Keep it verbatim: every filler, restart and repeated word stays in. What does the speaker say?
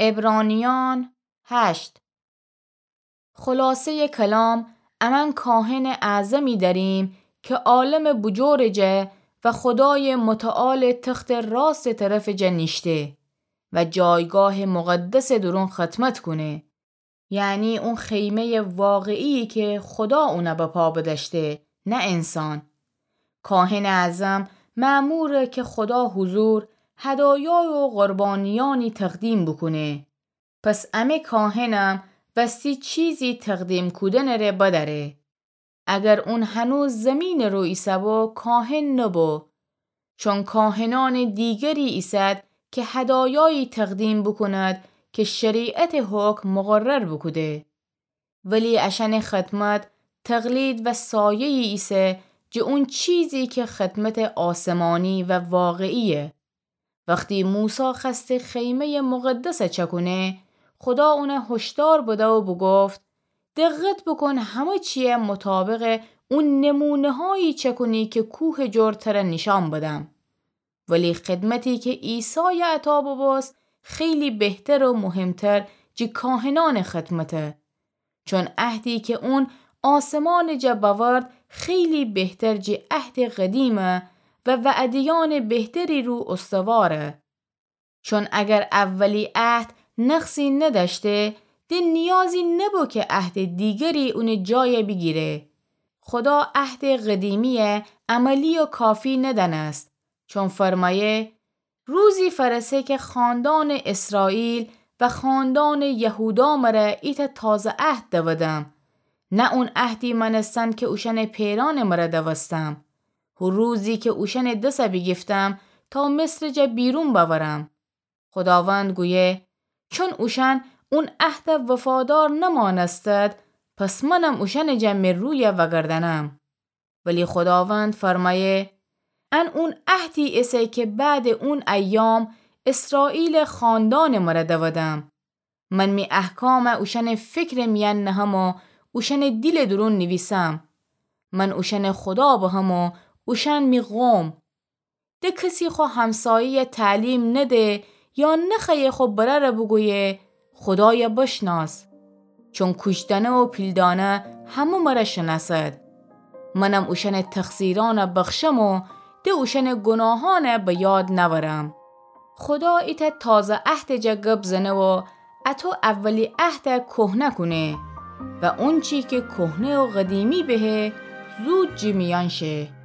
عبرانیان هشت. خلاصهٔ کلام، امأن کاهنٚ اعظمی دأریم که عالمٚ بوجورٚ جا و خودایٚ متعالٚ تختٚ راستٚ طرفٚ جا نیشته و جایگاهٚ مقدسٚ دورون خدمت کونه، یعنی اون خیمهٔ واقعیی که خودا اونه بپا بدأشته، نه انسان. کاهنٚ اعظم مأموره که خودا حضور هدایا و قربانیأنی تقدیم بوکونه. پس امه کاهنم وستی چیزی تقدیم کودنٚ ره بدأره. اگر اون هنوز زیمینٚ رو ایسه‌بو، کاهن نبو، چون کاهنأنٚ دیگری ایسد که هدایایی تقدیم بوکوند که شریعتٚ حکم مقرر بوکوده. ولی اشأنٚ خدمت تقلید و سایه‌یی ایسه جٚه اون چیزی که خدمتٚ آسمانی و واقعییه. وختی موسی خوأسته خیمهٔ مقدس چکونه، خودا اونه هشدار بده و بوگفت: دقت بوکون همه چیی مطابقٚ او نمونه‌هایی چکونی که کوهٚ جور تره نیشأن بدم. ولی خدمتی که عیسای عطا ببوست خیلی بهتر و مهمتر جٚه کاهنأنٚ خدمته. چون عهدی که اون آسمانٚ جا بأورد خیلی بهتر جٚه عهدٚ قدیمه و وعده‌یأنٚ بهتری رو استواره. چون اگر اولی عهد نقصی ندأشته، ده نیازی نبو که عهدٚ دیگری اونٚ جای بیگیره. خودا عهدٚ قدیمیی عملی و کافی ندأنست، چون فرمأیه: روزی فأرسه که خاندانٚ اسرائیل و خاندانٚ یهودا مره ایتأ تازه عهد دودم، نه اون عهدی مأنستن که اوشأنٚ پئرأنٚ مره دوستم، هو روزی که اوشأنٚ دس بیگیفتم تا مصرٚ جا بیرون بأورم. خوداوند گویه: چون اوشأن اون عهد وفادار نمأنستد، پس منم اوشأنٚ جا می روی وأگردأنم. ولی خوداوند فرمأیه: ان اون عهدی ایسه که بعدٚ اون ایام اسرائیلٚ خاندانٚ مره دودم. من می احکام اوشأنٚ فکرٚ میأن نهم و اوشأنٚ دیلٚ دورون نیویسم. من اوشأنٚ خودا بهم و اوشأن می قوم. ده کسی خو همسایه‌ی تعلیم نده یا نخوأیه خو برأر بوگویه: خودای بشناس. چون کوشتنه و پیلدانه همه مره شنأسد. منم اوشأنٚ تقصیرأن بخشم و ده اوشأنٚ گوناهأن به یاد نأورم. خودا ایتأ تازه عهدٚ جا گب زنه و اطو اولی عهد کهنه کونه و اونچی که کهنه و قدیمی بهه، زود جٚه میأن شه.